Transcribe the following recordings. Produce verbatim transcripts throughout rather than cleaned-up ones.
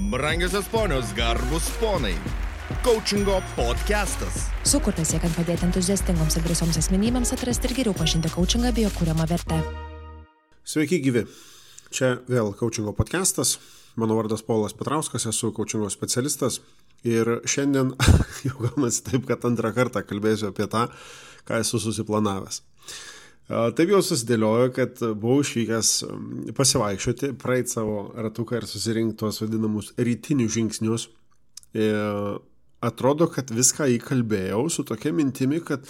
Brangiosios ponios, garbus ponai. Coachingo podcastas. Sukurtas siekiant padėti entuziastingoms ir drąsioms asmenybėms atrasti ir geriau pažinti coachingą bei jo kuriamą vertę. Sveiki gyvi. Čia vėl coachingo podcastas. Mano vardas Paulas Petrauskas, esu coachingo specialistas. Ir šiandien jau gaunasi taip, kad antrą kartą kalbėsiu apie tą, ką esu susiplanavęs. Taip jau susidėliojo, kad buvau išvykęs pasivaikščioti, praeit savo ratuką ir susirinkti tuos vadinamus rytinius žingsnius. Ir atrodo, kad viską įkalbėjau su tokia mintimi, kad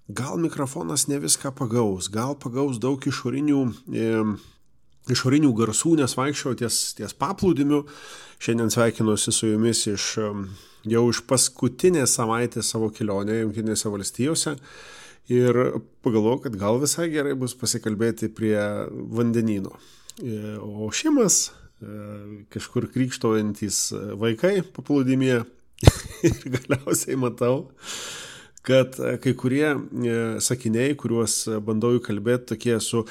gal mikrofonas ne viską pagaus, gal pagaus daug išorinių, e, išorinių garsų, nes vaikščiau ties, ties paplūdimiu. Šiandien sveikinuosi su jumis iš, jau iš paskutinės savaitės savo kelionėje Jungtinėse valstijose. Ir pagalvojau, kad gal visai gerai bus pasikalbėti prie vandenyno. O šimas, kažkur krykštaujantys vaikai paplūdimyje ir galiausiai matau, kad kai kurie sakiniai, kuriuos bandau įkalbėti, tokie su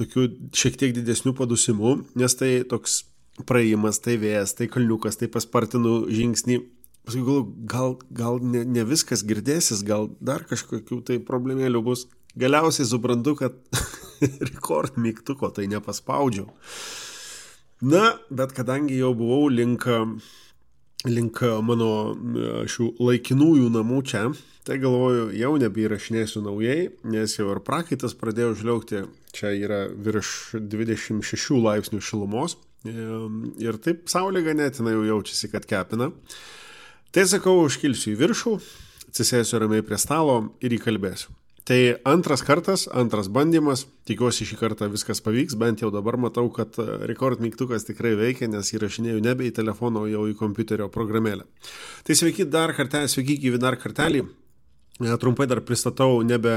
tokiu šiek tiek didesniu padusimu, nes tai toks praėjimas, tai vėjas, tai kalniukas, tai paspartinu žingsnį. Paskui gal, gal ne, ne viskas girdėsis, gal dar kažkokių tai problemėlių bus. Galiausiai suprantu, kad rekord mygtuko tai nepaspaudžiau. Na, bet kadangi jau buvau link, link mano šių laikinųjų namų čia, tai galvoju, jau nebeįrašinėsiu naujai, nes jau ir prakaitas pradėjo žliaugti. Čia yra virš dvidešimt šešių laipsnių šilumos ir taip saulė ganėtinai jau jaučiasi, kad kepina. Tai sakau, užkilsiu į viršų, atsisėsiu ramiai prie stalo ir įkalbėsiu. Tai antras kartas, antras bandymas, tikiuosi šį kartą viskas pavyks, bent jau dabar matau, kad rekord mygtukas tikrai veikia, nes įrašinėjau nebe į telefoną, o jau į kompiuterio programėlę. Tai sveiki dar kartelį, sveiki gyvi dar kartelį, trumpai dar pristatau nebe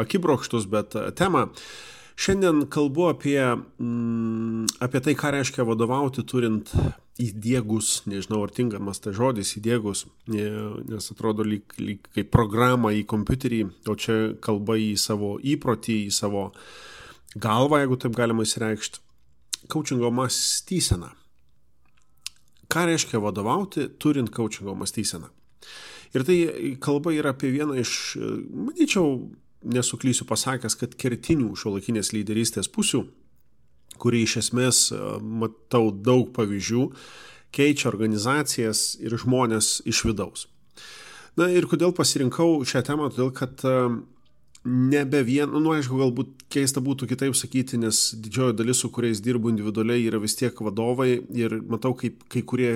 akibrokštus, bet temą. Šiandien kalbu apie, mm, apie tai, ką reiškia vadovauti turint įdiegus, nežinau ar tinkamas tai žodis, įdiegus, nes atrodo lyg, lyg kaip programą į kompiuterį, o čia kalba į savo įprotį, į savo galvą, jeigu taip galima įsireikšti, coachingo mąstyseną. Ką reiškia vadovauti turint coachingo mąstyseną? Ir tai kalba yra apie vieną iš, manyčiau, nesuklysiu pasakęs, kad kertinių šiuolaikinės lyderystės pusių, kuri iš esmės, matau daug pavyzdžių, keičia organizacijas ir žmonės iš vidaus. Na ir kodėl pasirinkau šią temą? Todėl, kad nebe vien, nu aišku, galbūt keista būtų kitaip sakyti, nes didžioji dalis, su kuriais dirbu individualiai, yra vis tiek vadovai ir matau, kaip kai kurie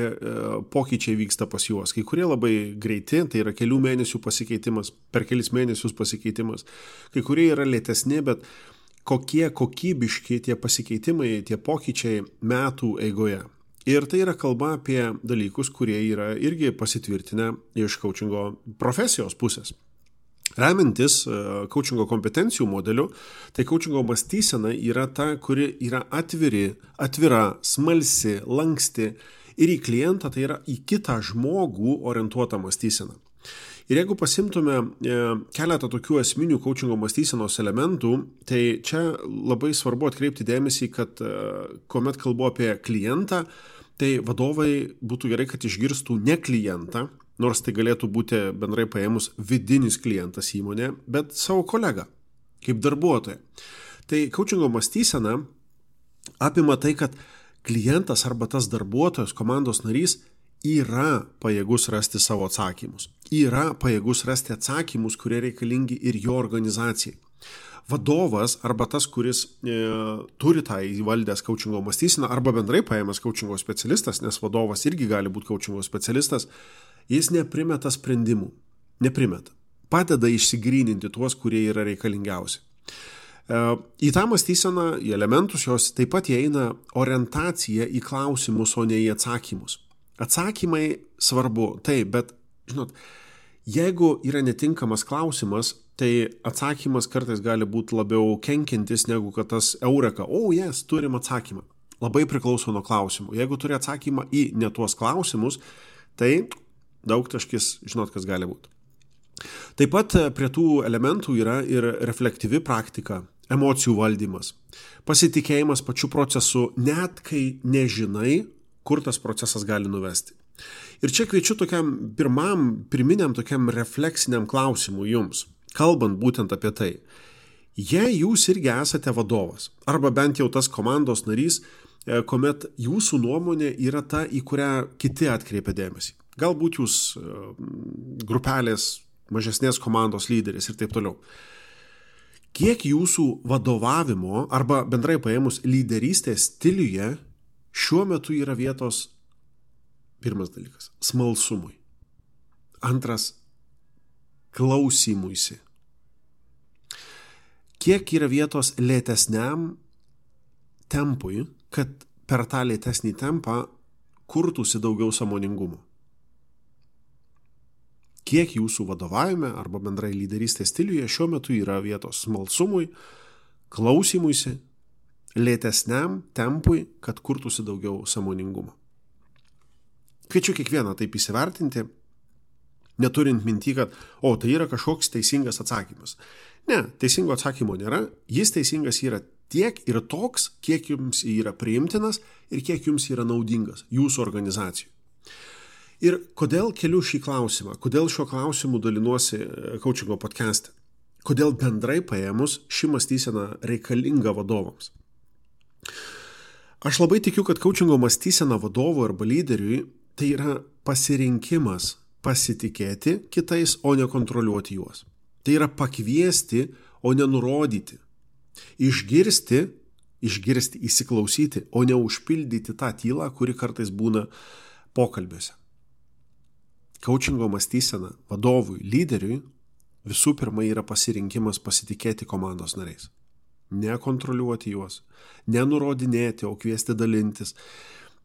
pokyčiai vyksta pas juos. Kai kurie labai greiti, tai yra kelių mėnesių pasikeitimas, per kelis mėnesius pasikeitimas. Kai kurie yra lėtesni, bet kokie kokybiški tie pasikeitimai, tie pokyčiai metų eigoje. Ir tai yra kalba apie dalykus, kurie yra irgi pasitvirtinę iš coachingo profesijos pusės. Remintis coachingo kompetencijų modeliu, tai coachingo mąstysena yra ta, kuri yra atviri, atvira, smalsi, lanksti ir į klientą, tai yra į kitą žmogų orientuotą mąstyseną. Ir jeigu pasimtume keletą tokių esminių coachingo mąstysenos elementų, tai čia labai svarbu atkreipti dėmesį, kad kuomet kalbu apie klientą, tai vadovai būtų gerai, kad išgirstų ne klientą, nors tai galėtų būti bendrai paėmus vidinis klientas įmonė, bet savo kolegą, kaip darbuotoją. Tai coachingo mąstysena apima tai, kad klientas arba tas darbuotojas, komandos narys yra pajėgus rasti savo atsakymus. Yra pajėgus rasti atsakymus, kurie reikalingi ir jo organizacijai. Vadovas arba tas, kuris e, turi tą įvaldęs coachingo mąstyseną, arba bendrai paėmęs coachingo specialistas, nes vadovas irgi gali būti coachingo specialistas, jis neprimeta sprendimų, neprimeta. Padeda išsigryninti tuos, kurie yra reikalingiausi. Į tą mąstyseną, į elementus jos taip pat įeina orientacija į klausimus, o ne į atsakymus. Atsakymai svarbu, taip, bet, žinot, jeigu yra netinkamas klausimas, tai atsakymas kartais gali būti labiau kenkiantis, negu kad tas eureka, o, jes, turim atsakymą. Labai priklauso nuo klausimų. Jeigu turi atsakymą į ne tuos klausimus, tai daug taškis, žinot, kas gali būti. Taip pat prie tų elementų yra ir reflektyvi praktika, emocijų valdymas, pasitikėjimas pačiu procesu, net kai nežinai, kur tas procesas gali nuvesti. Ir čia kviečiu tokiam pirmam, pirminiam tokiam refleksiniam klausimui jums, kalbant būtent apie tai. Jei jūs irgi esate vadovas, arba bent jau tas komandos narys, kuomet jūsų nuomonė yra ta, į kurią kiti atkreipia dėmesį. Galbūt jūs grupelės mažesnės komandos lyderis ir taip toliau. Kiek jūsų vadovavimo arba bendrai paėmus lyderystės stiliuje šiuo metu yra vietos, pirmas dalykas, smalsumui. Antras, klausymuisi. Kiek yra vietos lėtesniam tempui, kad per tą lėtesnį tempą kurtųsi daugiau sąmoningumo. Kiek jūsų vadovavime arba bendrai lyderystės stiliuje šiuo metu yra vietos smalsumui, klausymuisi, lėtesniam tempui, kad kurtųsi daugiau sąmoningumo. Kviečiu kiekvieną taip įsivertinti, neturint minty, kad o, tai yra kažkoks teisingas atsakymas. Ne, teisingo atsakymo nėra, jis teisingas yra tiek ir toks, kiek jums yra priimtinas ir kiek jums yra naudingas jūsų organizacijų. Ir kodėl keliu šį klausimą, kodėl šiuo klausimu dalinuosi coachingo podcast'e, kodėl bendrai paėmus ši mąstysena reikalinga vadovams. Aš labai tikiu, kad coachingo mąstysena vadovų arba lyderiui tai yra pasirinkimas pasitikėti kitais, o ne kontroliuoti juos. Tai yra pakviesti, o ne nurodyti. Išgirsti, išgirsti, įsiklausyti, o ne užpildyti tą tylą, kuri kartais būna pokalbiuose. Coachingo mąstysena vadovui, lyderiui visų pirma yra pasirinkimas pasitikėti komandos nariais. Nekontroliuoti juos, nenurodinėti, o kviesti dalintis,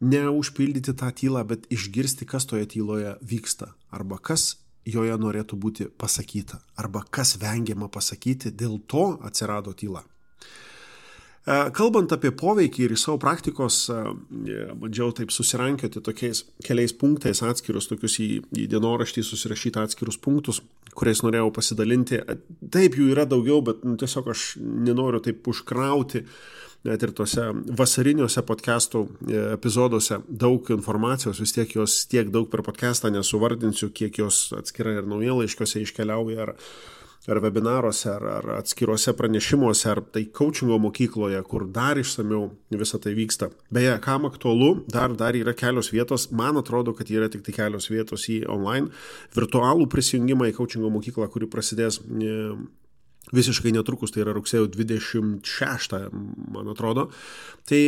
neužpildyti tą tylą, bet išgirsti, kas toje tyloje vyksta, arba kas joje norėtų būti pasakyta, arba kas vengiama pasakyti, dėl to atsirado tyla. Kalbant apie poveikį ir į savo praktikos, bandžiau taip susirankioti tokiais keliais punktais atskirus, tokius į, į dienoraštį susirašyti atskirus punktus, kuriais norėjau pasidalinti. Taip, jų yra daugiau, bet nu, tiesiog aš nenoriu taip užkrauti net ir tose vasariniuose podcastų epizoduose daug informacijos, vis tiek jos tiek daug per podcastą nesuvardinsiu, kiek jos atskirai ir naujienlaiškiuose iškeliauja, ar ar webinaruose, ar, ar atskiruose pranešimuose, ar tai coachingo mokykloje, kur dar išsamiau visą tai vyksta. Beje, kam aktualu, dar, dar yra kelios vietos, man atrodo, kad yra tik tai kelios vietos į online virtualų prisijungimą į coachingo mokyklą, kuri prasidės visiškai netrukus, tai yra rugsėjo dvidešimt šeštą, man atrodo. Tai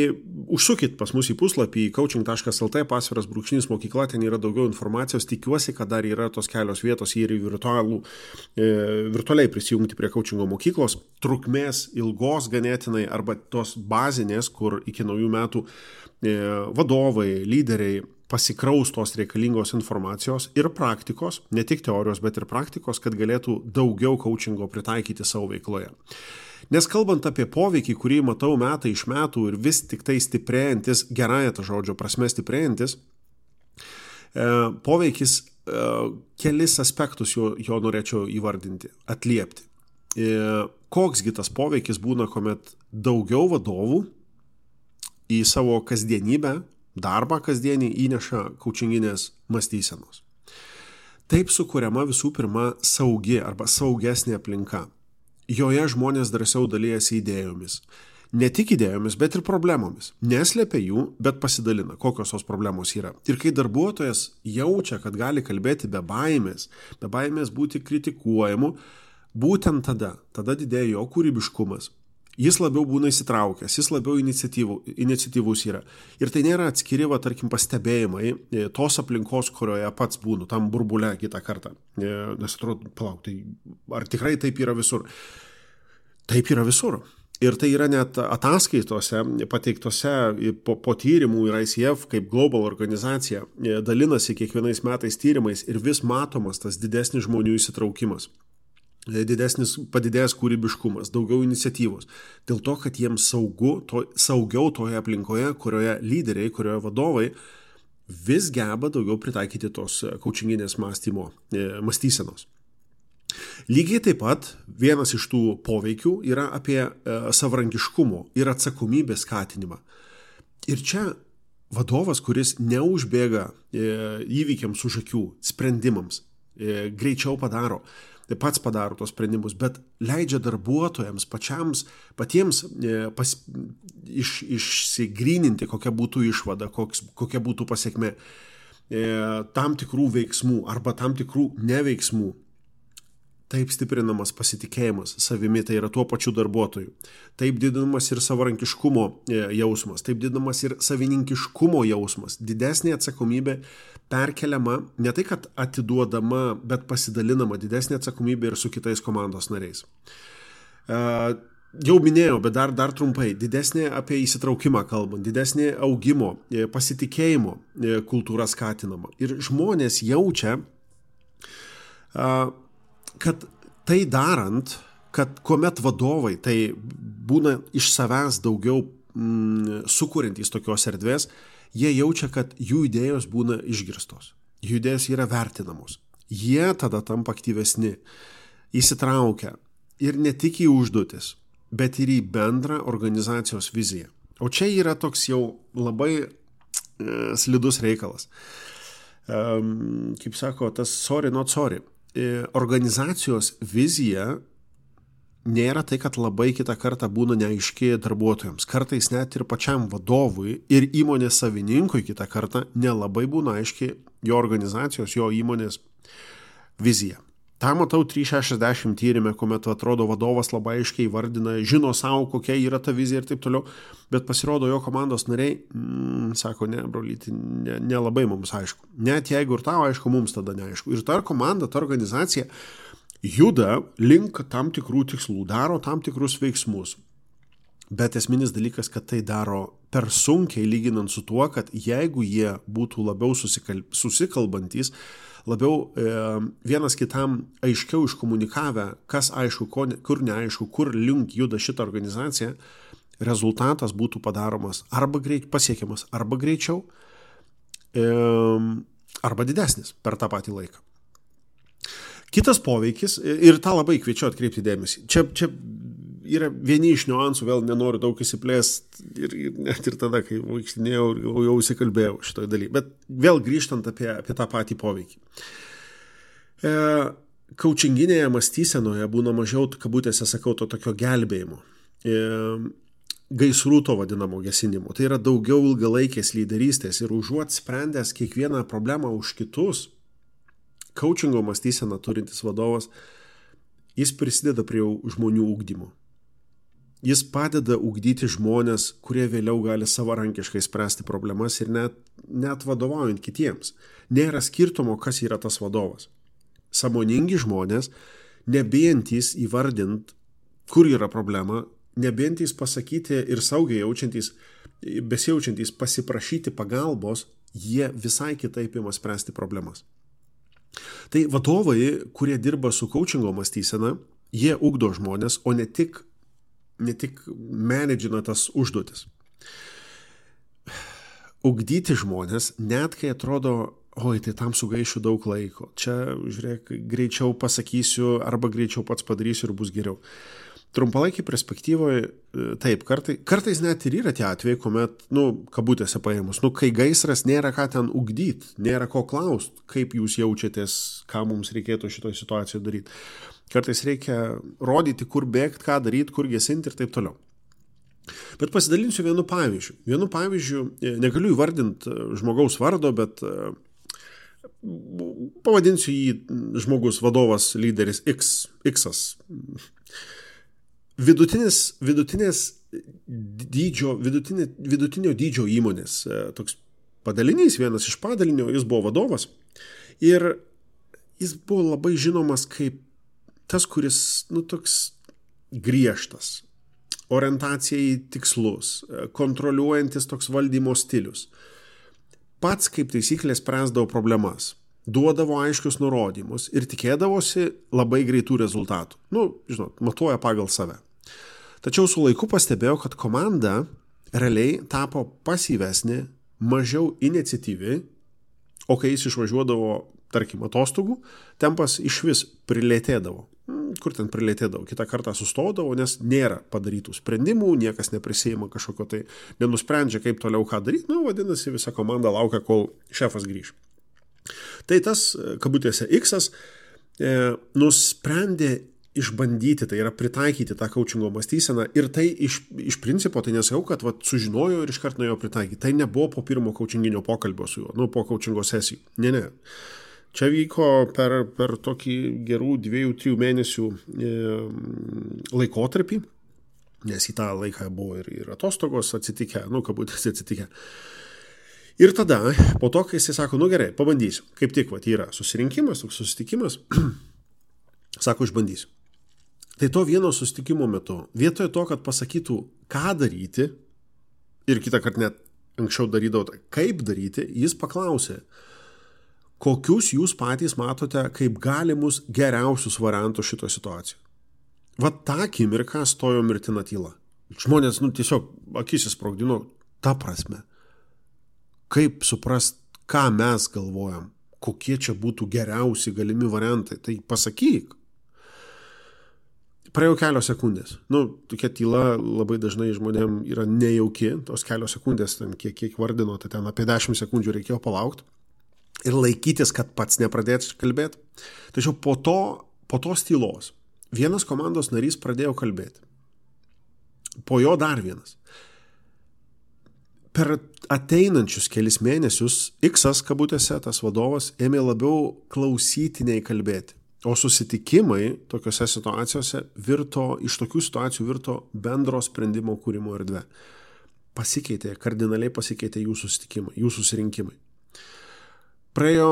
užsukit pas mus į puslapį coaching taškas lt pasviras brūkšnys mokykla, ten yra daugiau informacijos, tikiuosi, kad dar yra tos kelios vietos ir į virtualų, e, virtualiai prisijungti prie coachingo mokyklos, trukmės ilgos ganėtinai arba tos bazinės, kur iki naujų metų e, vadovai, lyderiai pasikraus tos reikalingos informacijos ir praktikos, ne tik teorijos, bet ir praktikos, kad galėtų daugiau coachingo pritaikyti savo veikloje. Nes kalbant apie poveikį, kurį matau metai iš metų ir vis tik tai stiprėjantis, gerąją tą žodžio prasme stiprėjantis, poveikis kelis aspektus jo, jo norėčiau įvardinti, atliepti. Koksgi tas poveikis būna, kuomet daugiau vadovų į savo kasdienybę, darbą kasdienį įneša coachinginės mąstysenos. Taip sukuriama visų pirma saugi arba saugesnė aplinka. Joje žmonės drąsiau dalijasi idėjomis. Ne tik idėjomis, bet ir problemomis. Neslėpia jų, bet pasidalina, kokios tos problemos yra. Ir kai darbuotojas jaučia, kad gali kalbėti be baimės, be baimės būti kritikuojamu, būtent tada, tada didėja jo kūrybiškumas. Jis labiau būna įsitraukęs, jis labiau iniciatyvus yra. Ir tai nėra atskiri, va, tarkim, pastebėjimai tos aplinkos, kurioje pats būnu, tam burbule kitą kartą. Nes atrodo, palauk, tai ar tikrai taip yra visur? Taip yra visur. Ir tai yra net ataskaitose, pateiktose po, po tyrimų ir I C F kaip global organizacija dalinasi kiekvienais metais tyrimais ir vis matomas tas didesnis žmonių įsitraukimas. Didesnis padidėjęs kūrybiškumas, daugiau iniciatyvos. Dėl to, kad jiems saugu, to, saugiau toje aplinkoje, kurioje lyderiai, kurioje vadovai vis geba daugiau pritaikyti tos coachinginės mąstymo, mąstysenos. Lygiai taip pat vienas iš tų poveikių yra apie savarankiškumo ir atsakomybės skatinimą. Ir čia vadovas, kuris neužbėga įvykiams už akių, sprendimams, greičiau padaro, pats padaro tos sprendimus, bet leidžia darbuotojams pačiams, patiems pas, iš, išsigryninti, kokia būtų išvada, koks, kokia būtų pasiekmė tam tikrų veiksmų arba tam tikrų neveiksmų. Taip stiprinamas pasitikėjimas savimi, tai yra tuo pačiu darbuotoju. Taip didinamas ir savarankiškumo jausmas, taip didinamas ir savininkiškumo jausmas. Didesnė atsakomybė perkeliama, ne tai kad atiduodama, bet pasidalinama didesnė atsakomybė ir su kitais komandos nariais. Jau minėjau, bet dar, dar trumpai, didesnė apie įsitraukimą kalbant, didesnė augimo, pasitikėjimo kultūra skatinama. Ir žmonės jaučia, kad tai darant, kad kuomet vadovai tai būna iš savęs daugiau mm, sukuriantys tokios erdvės, jie jaučia, kad jų idėjos būna išgirstos, jų idėjos yra vertinamos. Jie tada tampa aktyvesni, įsitraukia ir ne tik į užduotis, bet ir į bendrą organizacijos viziją. O čia yra toks jau labai e, slidus reikalas. E, kaip sako, tas sorry, not sorry. Organizacijos vizija nėra tai, kad labai kitą kartą būna neaiški darbuotojams. Kartais net ir pačiam vadovui ir įmonės savininkui kitą kartą nelabai būna aiški jo organizacijos, jo įmonės vizija. Ta matau trys šešiasdešimt tyrime, kuomet atrodo vadovas labai aiškiai vardina, žino savo, kokia yra ta vizija ir taip toliau, bet pasirodo jo komandos nariai, mm, sako, ne, brolyti, ne, nelabai mums aišku. Net jeigu ir tau aišku, mums tada neaišku. Ir ta komanda, ta organizacija juda link tam tikrų tikslų, daro tam tikrus veiksmus. Bet esminis dalykas, kad tai daro per sunkiai lyginant su tuo, kad jeigu jie būtų labiau susikal... susikalbantys, labiau e, vienas kitam aiškiau iškomunikavę, kas aišku, ko, kur neaišku, kur link juda šitą organizaciją, rezultatas būtų padaromas arba greit, pasiekiamas arba greičiau, e, arba didesnis per tą patį laiką. Kitas poveikis, ir tą labai kviečiu atkreipti dėmesį, čia, čia yra vieni iš niuansų, vėl nenoriu daug įsiplėsti ir, ir net ir tada, kai vaikštinėjau, jau, jau įsikalbėjau šitoj daly. Bet vėl grįžtant apie, apie tą patį poveikį. E, Coachinginėje mąstysenoje būna mažiau, kabutėse sakau, to tokio gelbėjimo. E, gaisrų to vadinamo gesinimo. Tai yra daugiau ilgalaikės lyderystės ir užuot sprendęs kiekvieną problemą už kitus, coachingo mąstyseną turintis vadovas, jis prisideda prie žmonių ugdymo. Jis padeda ugdyti žmonės, kurie vėliau gali savarankiškai spręsti problemas ir net, net vadovaujant kitiems. Nėra skirtumo, kas yra tas vadovas. Sąmoningi žmonės, nebijantys įvardint, kur yra problema, nebijantys pasakyti ir saugiai jaučiantys, besijaučiantys pasiprašyti pagalbos, jie visai kitaip ima spręsti problemas. Tai vadovai, kurie dirba su coachingo mąstysena, jie ugdo žmonės, o ne tik, ne tik menedžina tas užduotis. Ugdyti žmonės, net kai atrodo, oi, tai tam sugaišiu daug laiko. Čia, žiūrėk, greičiau pasakysiu arba greičiau pats padarysiu ir bus geriau. Trumpalaikiai perspektyvoje, taip, kartai, kartais net ir yra tie atvejai, kuomet, nu, kabutėse paėmus, nu, kai gaisras nėra ką ten ugdyti, nėra ko klausti, kaip jūs jaučiatės, ką mums reikėtų šitoje situacijoje daryti. Kartais reikia rodyti, kur bėgti, ką daryti, kur gesinti ir taip toliau. Bet pasidalinsiu vienu pavyzdžiu. Vienu pavyzdžiu, negaliu įvardinti žmogaus vardo, bet pavadinsiu jį žmogus, vadovas, lyderis X, X'as. Vidutinis, vidutinės dydžio, vidutinė, vidutinio dydžio įmonės, toks padalinys, vienas iš padalinio, jis buvo vadovas ir jis buvo labai žinomas kaip tas, kuris, nu, toks griežtas, orientacija į tikslus, kontroliuojantis toks valdymo stilius. Pats kaip taisyklė spręsdavo problemas, duodavo aiškius nurodymus ir tikėdavosi labai greitų rezultatų. Nu, žinot, matuoja pagal save. Tačiau su laiku pastebėjau, kad komanda realiai tapo pasyvesnė, mažiau iniciatyvi, o kai jis išvažiuodavo, tarkim, atostogų, tempas išvis prilėtėdavo. kur ten prilėtėdavo, kitą kartą sustodavo, nes nėra padarytų sprendimų, niekas neprisėjima kažkokio tai, nenusprendžia, kaip toliau ką daryti, nu, vadinasi, visa komanda laukia, kol šefas grįž. Tai tas, kabutėse, X-as e, nusprendė išbandyti, tai yra pritaikyti tą coachingo mąstyseną ir tai iš, iš principo, tai nesakau, kad vat, sužinojo ir iškart nuėjo pritaikyti. Tai nebuvo po pirmo coachinginio pokalbio su juo, nu, po coachingo sesijų. Ne, ne. Čia vyko per, per tokį gerų dviejų, trijų mėnesių e, laikotarpį, nes į tą laiką buvo ir, ir atostogos atsitikę, nu, kabutėse atsitikę. Ir tada, po to, kai jisai sako, nu gerai, pabandysiu, kaip tik, vat, yra susirinkimas, toks susitikimas, sako, išbandysiu. Tai to vieno susitikimo metu, vietoje to, kad pasakytų, ką daryti, ir kitą kartą net anksčiau darydavo, kaip daryti, jis paklausė, kokius jūs patys matote kaip galimus geriausius variantus šito situacijų. Vat tą akimirką stojo mirtina tyla. Žmonės, nu, tiesiog akis įsprogdino, ta prasme. Kaip suprast, ką mes galvojam, kokie čia būtų geriausi galimi variantai, tai pasakyk. Praėjo kelios sekundės. Nu, tokia tyla labai dažnai žmonėm yra nejauki, tos kelios sekundės, ten, kiek, kiek vardino, tai ten apie dešimt sekundžių reikėjo palaukti ir laikytis, kad pats nepradėtų kalbėti. Tačiau po to, po tos tylos vienas komandos narys pradėjo kalbėti. Po jo dar vienas. Per ateinančius kelis mėnesius X-as, kabutėse, tas vadovas, ėmė labiau klausyti nei kalbėti. O susitikimai tokiose situacijose virto, iš tokių situacijų virto bendro sprendimo kūrimo erdvė. Pasikeitė, kardinaliai pasikeitė jų susitikimai, jų susirinkimai. Praėjo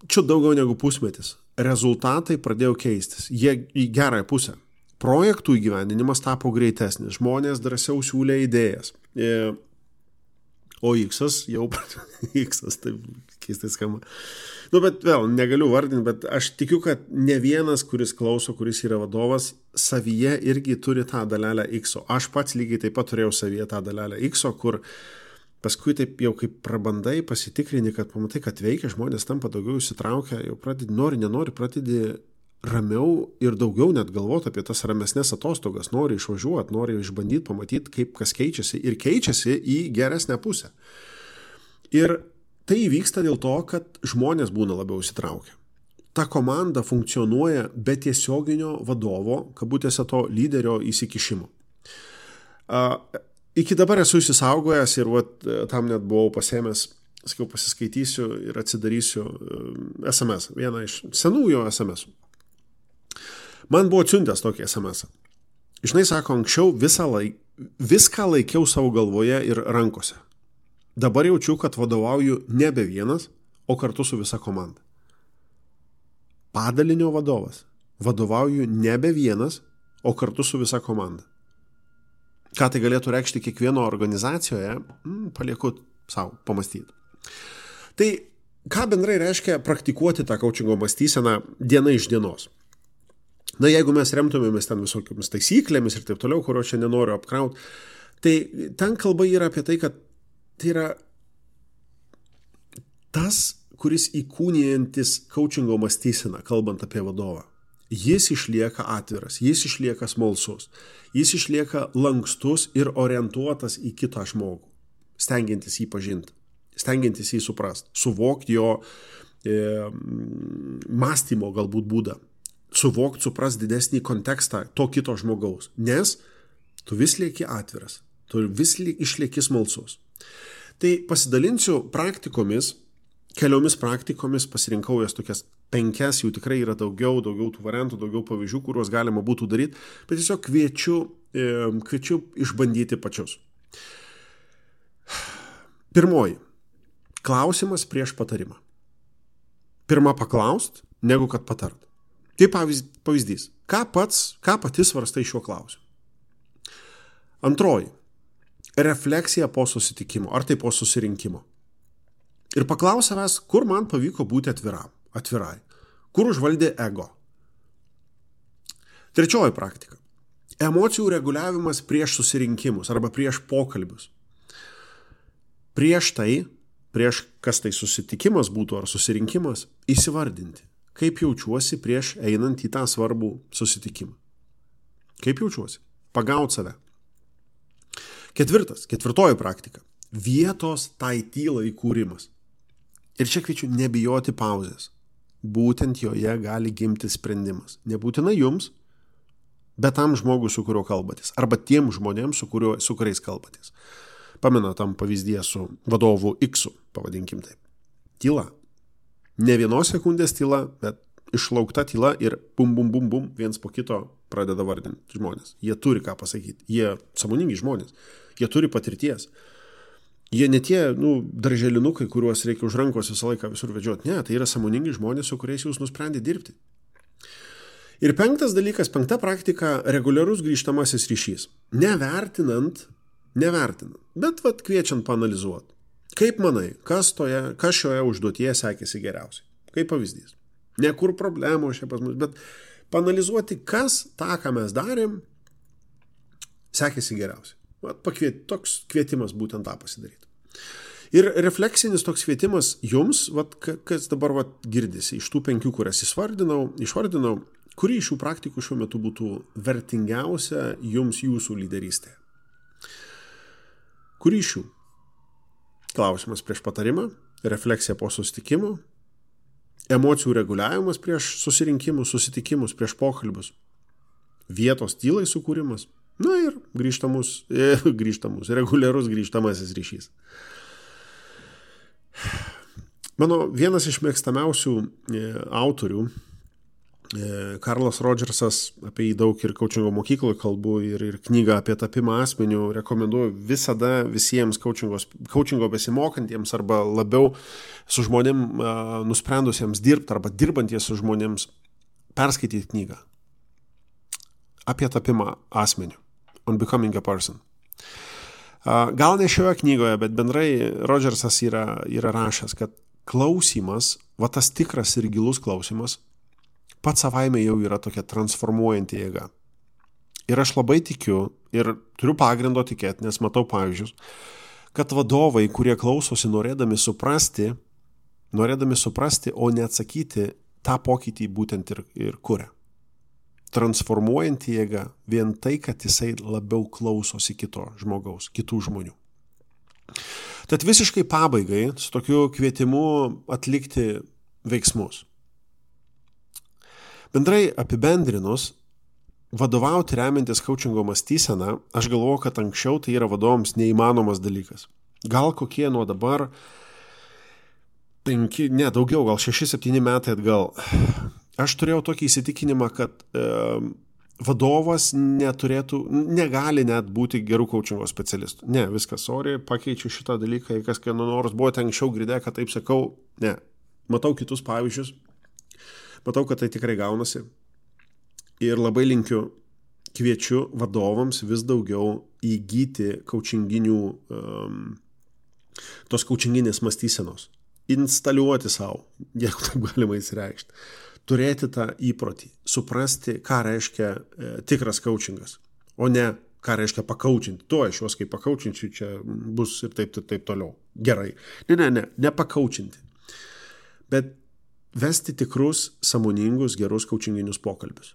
čia daugiau negu pusmetis. Rezultatai pradėjo keistis. Jie į gerąją pusę. Projektų įgyvendinimas tapo greitesnis. Žmonės drąsiau siūlė idėjas. O X-as jau... X-as, taip keistai skamba. Nu, bet vėl, negaliu vardinti, bet aš tikiu, kad ne vienas, kuris klauso, kuris yra vadovas, savyje irgi turi tą dalelę X-o. Aš pats lygiai taip pat turėjau savyje tą dalelę X-o, kur paskui taip jau kaip prabandai pasitikrini, kad pamatai, kad veikia, žmonės tampa daugiau įsitraukia, jau pradedi, nori, nenori, pradedi ramiau ir daugiau net galvoti apie tas ramesnės atostogas, nori išvažiuoti, nori išbandyti, pamatyti, kaip kas keičiasi ir keičiasi į geresnę pusę. Ir tai įvyksta dėl to, kad žmonės būna labiau įsitraukę. Ta komanda funkcionuoja be tiesioginio vadovo, kabutėse to lyderio įsikišimo. Uh, iki dabar esu įsisaugojęs ir vat, tam net buvau pasėmęs, sakiau, pasiskaitysiu ir atsidarysiu S M S, vieną iš senųjų S M S. Man buvo atsiuntęs tokį S M S. Žinai, sako, anksčiau visą laik, viską laikiau savo galvoje ir rankose. Dabar jaučiu, kad vadovauju nebe vienas, o kartu su visa komanda. Padalinio vadovas. Vadovauju nebe vienas, o kartu su visa komanda. Ką tai galėtų reikšti kiekvieno organizacijoje, mm, palieku savo pamastyti. Tai ką bendrai reiškia praktikuoti tą coachingo mąstyseną diena iš dienos? Na, jeigu mes remtumėmės ten visokiamis taisyklėmis ir taip toliau, kurio čia nenoriu apkrauti, tai ten kalba yra apie tai, kad tai yra tas, kuris įkūnijantis coachingo mąstyseną, kalbant apie vadovą. Jis išlieka atviras, jis išlieka smalsus, jis išlieka lankstus ir orientuotas į kitą žmogų, stengiantis jį pažinti, stengiantis jį suprasti, suvokti jo e, mąstymo galbūt būdą, suvokti, suprasti didesnį kontekstą to kito žmogaus, nes tu vis lieki atviras, tu vis išlieki smalsus. Tai pasidalinsiu praktikomis, keliomis praktikomis, pasirinkau jas tokias penkias, jų tikrai yra daugiau, daugiau tų variantų, daugiau pavyzdžių, kuriuos galima būtų daryti, bet tiesiog kviečiu, e, kviečiu išbandyti pačius. Pirmoji. Klausimas prieš patarimą. Pirma paklaust, negu kad patart. Tai pavyzdys. Ką pats, ką pati svarstai šiuo klausimu? Antroji. Refleksija po susitikimo, ar tai po susirinkimo. Ir paklaus savęs, kur man pavyko būti atviram, atvirai, kur užvaldė ego. Trečioji praktika. Emocijų reguliavimas prieš susirinkimus arba prieš pokalbius. Prieš tai, prieš kas tai susitikimas būtų ar susirinkimas, įsivardinti, kaip jaučiuosi prieš einant į tą svarbų susitikimą. Kaip jaučiuosi? Pagaut save. Ketvirtas, ketvirtoji praktika. Vietos tai tylai kūrimas. Ir čia kviečiu nebijoti pauzės. Būtent joje gali gimti sprendimas. Nebūtinai jums, bet tam žmogui, su kuriuo kalbatės. Arba tiem žmonėms, su, kuriuo, su kuriais kalbatės. Pamena tam pavyzdyje su vadovu X, pavadinkim taip. Tyla. Ne vienos sekundės tyla, bet išlaukta tyla ir bum, bum, bum, bum, viens po kito pradeda vardinti žmonės. Jie turi ką pasakyti. Jie sąmoningi žmonės. Jie turi patirties. Jie ne tie, nu, darželinukai, kuriuos reikia už rankos visą laiką visur vedžioti. Ne, tai yra sąmoningi žmonės, su kuriais jūs nusprendė dirbti. Ir penktas dalykas, penkta praktika – reguliarus grįžtamasis ryšys. Nevertinant, nevertinant, bet vat kviečiant paanalizuoti. Kaip manai, kas, toje, kas šioje užduotyje sekėsi geriausiai? Kaip pavyzdys. Ne kur problemos čia pas mus, bet paanalizuoti, kas tą, ką mes darėm, sekėsi geriausiai. Pakviet, toks kvietimas būtent tą pasidaryti. Ir refleksinis toks kvietimas jums, vat, kas dabar vat, girdisi, iš tų penkių, kurias išvardinau, išvardinau, kuri iš šių praktikų šiuo metu būtų vertingiausia jums jūsų lyderystė. Kuri iš šių? Klausimas prieš patarimą, refleksija po susitikimų, emocijų reguliavimas prieš susirinkimus, susitikimus, prieš pokalbius, vietos tylai sukūrimas, na ir grįžtamus, e, grįžtamus, reguliarus grįžtamasis ryšys. Mano vienas iš mėgstamiausių e, autorių, e, Karlas Rodžersas, apie jį daug ir kaučingo mokykloje kalbu, ir, ir knygą apie tapimą asmeniu rekomenduoju visada visiems kaučingo besimokantiems arba labiau su žmonėm e, nusprendusiems dirbti arba dirbanties su žmonėms perskaityti knygą apie tapimą asmeniu. On becoming a person. Gal ne šioje knygoje, bet bendrai Rodžersas yra, yra rašęs, kad klausimas, va tas tikras ir gilus klausimas, pats savaime jau yra tokia transformuojanti jėga. Ir aš labai tikiu ir turiu pagrindo tikėti, nes matau pavyzdžius, kad vadovai, kurie klausosi norėdami suprasti, norėdami suprasti, o ne atsakyti, tą pokytį būtent ir, ir kuria. Transformuojanti jėga vien tai, kad jisai labiau klausosi kito žmogaus, kitų žmonių. Tad visiškai pabaigai su tokiu kvietimu atlikti veiksmus. Bendrai apibendrinus, vadovauti remiantis kaučingo mąstyseną, aš galvoju, kad anksčiau tai yra vadovams neįmanomas dalykas. Gal kokie nuo dabar penki, ne daugiau, gal šeši, septyni metai atgal. Aš turėjau tokį įsitikinimą, kad e, vadovas neturėtų, negali net būti gerų kaučingo specialistų. Ne, viskas, sorry, pakeičiu šitą dalyką, kas kieno nors buvo ten anksčiau girdėję, kad taip sakau, ne. Matau kitus pavyzdžius, matau, kad tai tikrai gaunasi. Ir labai linkiu, kviečiu vadovams vis daugiau įgyti kaučinginių, um, tos kaučinginės mąstysenos. Instaliuoti savo, jeigu taip galima įsireikšti. Turėti tą įprotį, suprasti, ką reiškia e, tikras kaučingas, o ne ką reiškia pakaučinti. To aš juos kaip pakaučinčiu, čia bus ir taip, taip, taip toliau. Gerai. Ne, ne, ne, ne pakaučinti. Bet vesti tikrus, sąmoningus, gerus kaučinginius pokalbius.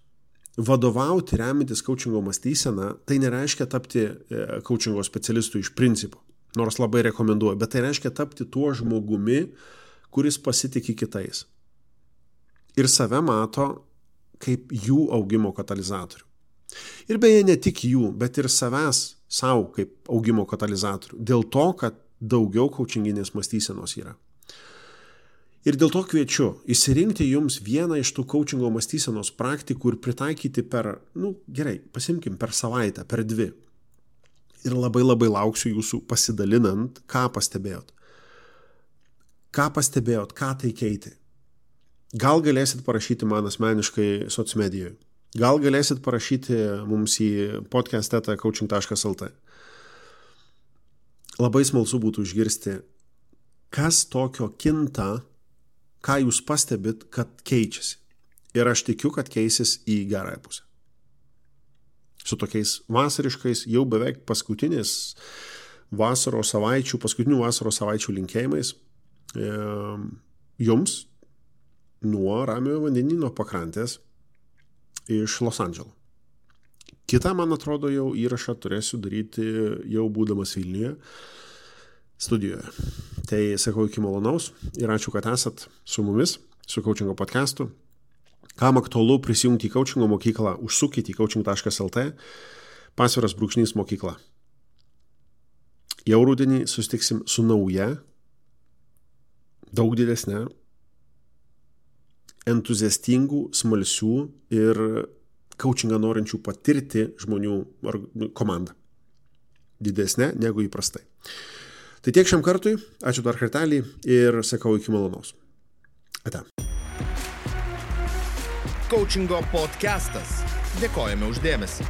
Vadovauti, remintis kaučingo mąstyseną, tai nereiškia tapti e, kaučingo specialistu iš principo, nors labai rekomenduoju, bet tai reiškia tapti tuo žmogumi, kuris pasitiki kitais. Ir save mato kaip jų augimo katalizatorių. Ir beje, ne tik jų, bet ir savęs savo kaip augimo katalizatorių. Dėl to, kad daugiau kaučinginės mąstysenos yra. Ir dėl to kviečiu išsirinkti jums vieną iš tų kaučingo mąstysenos praktikų ir pritaikyti per, nu gerai, pasimkim per savaitę, per dvi. Ir labai labai lauksiu jūsų pasidalinant, ką pastebėjot. Ką pastebėjot, ką tai keitė. Gal galėsit parašyti man asmeniškai socmedijoje. Gal galėsit parašyti mums į podcast eta coaching taškas lt. Labai smalsu būtų išgirsti, kas tokio kinta, ką jūs pastebit, kad keičiasi. Ir aš tikiu, kad keisis į gerąją pusę. Su tokiais vasariškais, jau beveik paskutinės vasaros savaičių, paskutinių vasaros savaičių linkėjimais e, jums, nuo Ramiojo vandenyno pakrantės iš Los Andželo. Kitą, man atrodo, jau įrašą turėsiu daryti jau būdamas Vilniuje studijoje. Tai sakau iki malonaus ir ačiū, kad esat su mumis, su Coachingo podcastu. Kam aktualu prisijungti į Coachingo mokyklą, užsukite į coaching taškas lt, pasviras brūkšnys mokykla. Jau rudenį susitiksim su nauja, daug didesnė, entuziastingų, smalsių ir coachingą norinčių patirti žmonių komanda. Didesnė negu įprastai. Tai tiek šiam kartui, ačiū dar kartelį ir sakau iki malonaus. Ate. Coachingo podcastas. Dėkojame už dėmesį.